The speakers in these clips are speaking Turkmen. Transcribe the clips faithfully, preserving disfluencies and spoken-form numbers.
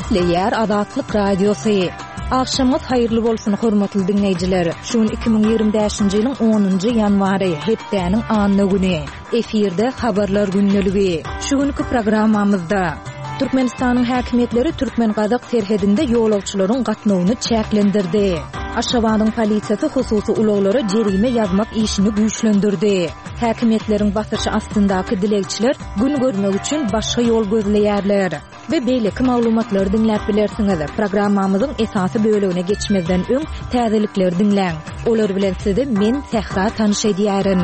Gepleýär Azatlyk Radiosy. Agşamyňyz haýyrly bolsun, hormatly diňleýjiler. Şu gün iki müň ýigrimi bäşinji ýylyň onunjy ýanwary, hepdäniň anna güni. Efirde Habarlar gündeligi. Şu günki programmamyzda Türkmenistanyň häkimiýetleri türkmen-gazak serhedinde ýolagçylaryň gatnawyny çäklendirdi. Aşgabadyň polisiýasy hususy ulaglara jerime ýazmak işini güýçlendirdi. Häkimiýetleriň basyşy astyndaky dilegçiler gün görmek üçin başga ýol gözleýärler. We beýleki maglumatlary diňläp bilersiňiz. Programmamyzyň esasy bölegine geçmezden öň täzelikleri diňläň. Olar bilen sizi men Sähra tanyş edýärin.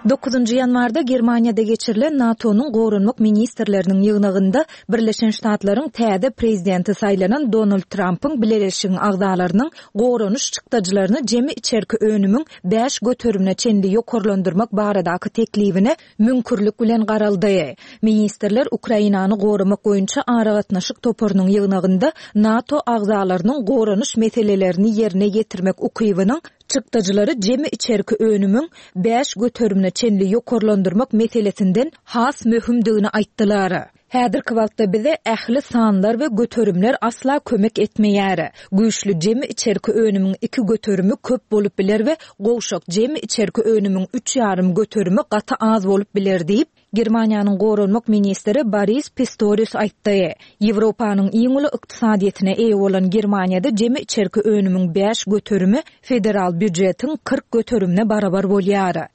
Dokuzynjy ýanwarda Germaniýada geçirilen NATO-nyň goranmak ministrleriniň ýygnagynda Birleşen Ştatlaryň täze prezidenti saýlanan Donald Trampyň bileleşigiň agzalarynyň goranyş çykdajylaryny jemi içerki önümiň bäş göterimine çenli ýokarlandyrmak baradaky teklibine müňkürlik bilen garaldy. Ministrler Ukrainany goramak boýunça aragatnaşyk toparynyň ýygnagynda NATO agzalarynyň goranyş meselelerini ýerine ýetirmek ukybynyň çykdajylary jemi içerki önümiň bäş göterimine çenli ýokarlandyrmak meselesinden has möhümdigini aýtdylar. Häzirki wagtda bize ähli sanlar we göterimler asla kömek etmeýär. Güýçli jemi içerki önümiň iki göterimi köp bolup biler we gowşak jemi içerki önümiň üç ýarym göterimi gaty az bolup biler diýip, Germaniýanyň goranmak ministri Boris Pistorius aýtdy. Ýewropanyň iň uly ykdysadyýetine eýe bolan Germaniýada jemi içerki önümiň bäş göterimi federal býujetiň kyrk göterimine barabar bolýar.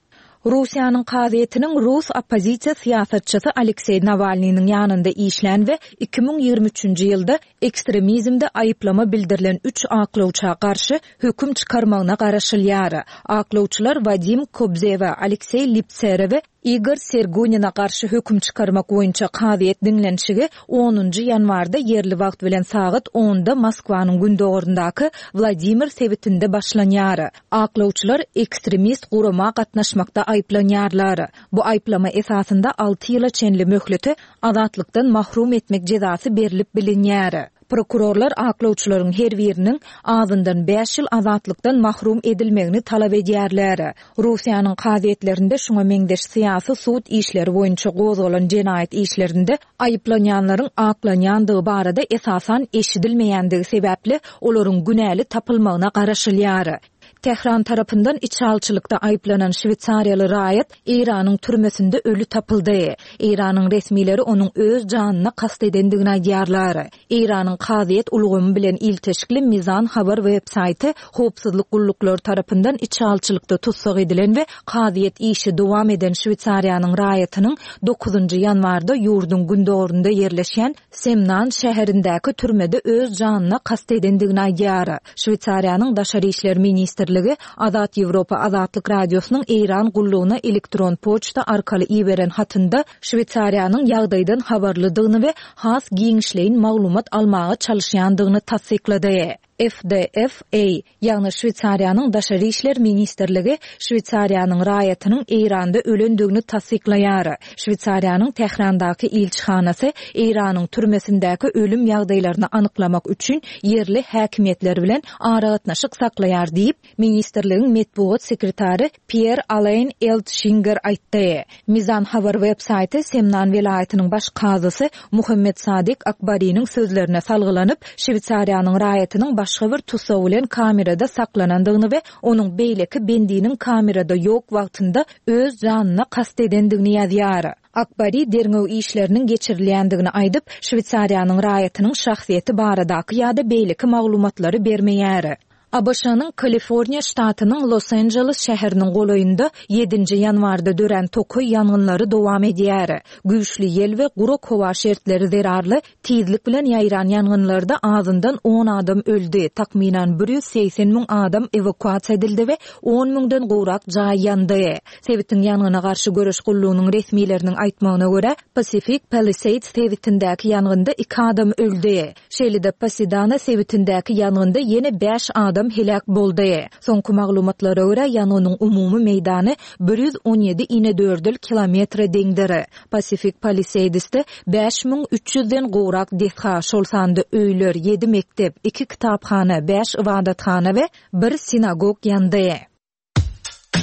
Russiýanyň kazyýetiniň rus oppozisiýa syýasatçysy Alekseý Nawalnynyň ýanynda işlän we iki müň ýigrimi üçünji ýylda ekstremizmde aýyplama bildirilen üç aklawça garşy höküm çykarmagyna garaşylýar. Aklawçylar Wadim Kobzewe, Alekseý Lipsere we Igor Sergunina garşy höküm çykarmak boýunça kazyýet diňlenişigi onunjy ýanwarda ýerli wagt bilen sagat onda Moskwanyň gündogaryndaky Wladimir sebitinde başlanýar. Aklawçylar ekstremist gurama gatnaşmakda aýyplanýarlar. Bu aýyplama esasynda alty ýyla çenli möhlete azatlykdan mahrum etmek jezasy berlip bilinýär. Prokurorlar aklawçylaryň her biriniň azyndan bäş ýyl azatlykdan mahrum edilmegini talap edýärler. Russiýanyň kazyýetlerinde şuňa meňzeş syýasy sud işleri boýunça gozgalan jenaýat işlerinde aýyplanýanlaryň aklanýandygy barada esasan eşidilmeýändigi sebäpli olaryň günäli tapylmagyna garaşylýar. Tähran tarapyndan içalçylykda aýyplanan şweýsariýaly raýat Eýranyň türmesinde öli tapyldy. Eýranyň resmileri onuň öz janyna kast edendigini aýdýarlar. Eýranyň kazyýet ulgamy bilen ilteşikli Mizan habar web-saýty howpsuzlyk gulluklary tarapyndan içalçylykda tussag edilen we kazyýet işi dowam eden Şweýsariýanyň raýatynyň dokuzynjy ýanwarda ýurduň gündogarynda ýerleşýän Semnan şäherindäki türmede öz janyna kast edendigini aýdýar. Şweýsariýanyň Daşary işler ministrligi Azat Ýewropa Azatlyk Radiosynyň Eýran gullugyna elektron poçta arkaly iberen hatynda Şweýsariýanyň ýagdaýdan habarlydygyny we has giňişleýin maglumat almaga çalyşýandygyny tassyklady. F D F A, ýagny Şweýsariýanyň Daşary işler ministrligi Şweýsariýanyň raýatynyň Eýranda ölendigini tassyklaýar. Şweýsariýanyň Tährandaky ilçihanasy Eýranyň türmesindäki ölüm ýagdaýlaryny anyklamak üçin ýerli häkimiýetler bilen aragatnaşyk saklaýar diýip, ministrligiň metbugat sekretary Pierre Alain Eltschinger aýtdy. Mizan habar web-saýty Semnan welaýatynyň baş kazysy Muhammed Sadik Akbariniň sözlerine salgylanyp, Şweýsariýanyň raýatynyň başga bir tussag bilen kamerada saklanandygyny we onuň beýleki bendiniň kamerada ýok wagtynda öz janyna kast edendigini ýazýar. Akbari derňew işleriniň geçirilýändigini aýdyp, Şweýsariýanyň raýatynyň şahsyýeti baradaky ýa-da beýleki maglumatlary bermeýär. A B Ş-nyň Kaliforniýa ştatynyň Los Angeles şäheriniň golaýynda ýedinji ýanwarda dörän tokaý ýangynlary dowam edýär. Güýçli ýel we gurak howa şertleri zerarly tizlik bilen ýaýran ýangynlarda azyndan on adam öldi, takmynan bir ýüz segsen müň adam ewakuasiýa edildi we on müňden gowrak jaý ýandy. Sebitiň ýangyna garşy göreş gullugynyň resmileriniň aýtmagyna görä, Pacific Palisades sebitindäki ýangynda iki adam öldi. Şeýle-de Pasadena sebitindäki ýangynda ýene bäş adam heläk boldy. Soňky maglumatlara görä, ýangynyň umumy meýdany bir ýüz on ýedi inedördül kilometre deňdir. Pacific Palisadesde bäş müň üç ýüzden gowrak desga, şol sanda öýler, ýedi mekdep, iki kitaphana, bäş ibadathana we bir sinagog ýandy.